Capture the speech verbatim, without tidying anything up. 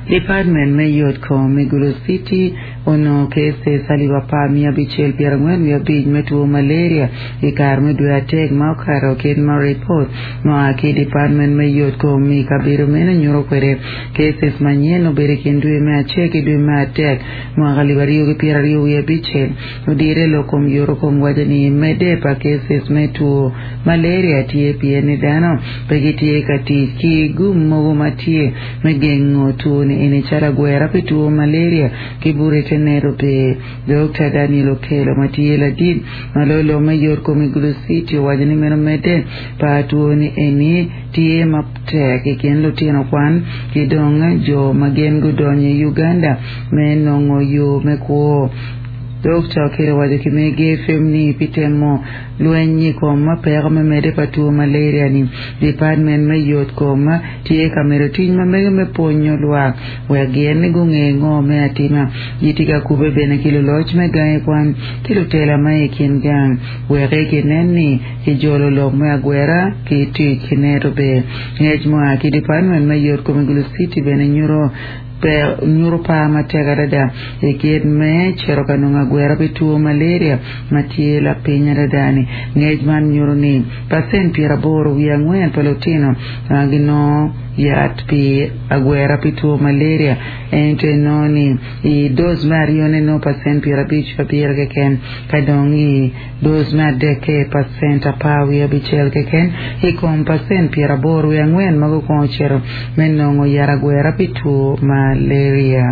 Department me yot kom i Gulu City onongo cases alip apar miya abicel pyerangwen wiye abic me two malaria i kare me dwe adek ma okato kit ma ripot ma oa ki i department me yot kom i kabedo meno nyuto kwede cases manyen obedo i kin dwe me acel ki dwe me adek mwaka alip aryo ki pyeraryo wiye abicel odire lok kom yoto kom waco ni medde pa cases me two malaria tye pien ni dano pe gitye ka tic ki gum mogo ma tye me gengo two ni eni calo agwera pi two malaria ki bute te neto pe Dr. Daniel Okello ma tye ladit ma loyo lok me yot kom i Gulu City owaco ni meno medde pa two ni eni tye matek i kin lutino kwan ki dong jo ma gin gudonyo i Uganda me nongo yo me kwo Dr. Okello owaco ki Mega FM ni pi temo lweny i kom peko me medde pa two malaria ni department me yot kom tye ka medo tic ma mege me pwonyo lwak wek gin ni gunge ngo me atima gitye ka kube bene ki luloc me gangi kwan ki lutela ma i kin gang wek ginen ni kijolo lok me agwera ki tic ki neto be ngec mua ki department me yot kom i Gulu City bene nyuto pe nyuto par matek adada i kit me cito ka nongo agwera pi two malaria ma tye lapiny adada ni ngec man nyuto ni pacent pyeraboro wiye angwen pa lutino ma ginongo yat pi agwera pi two malaria ento inongo ni i dose me aryone nongo pacent pyerabic abiro keken ka dong i dose me adekke pacent apar wiye abicel keken i kom pacent pyeraboro wiye angwen ma gukwongo cito me nongo yat agwera pi two malaria.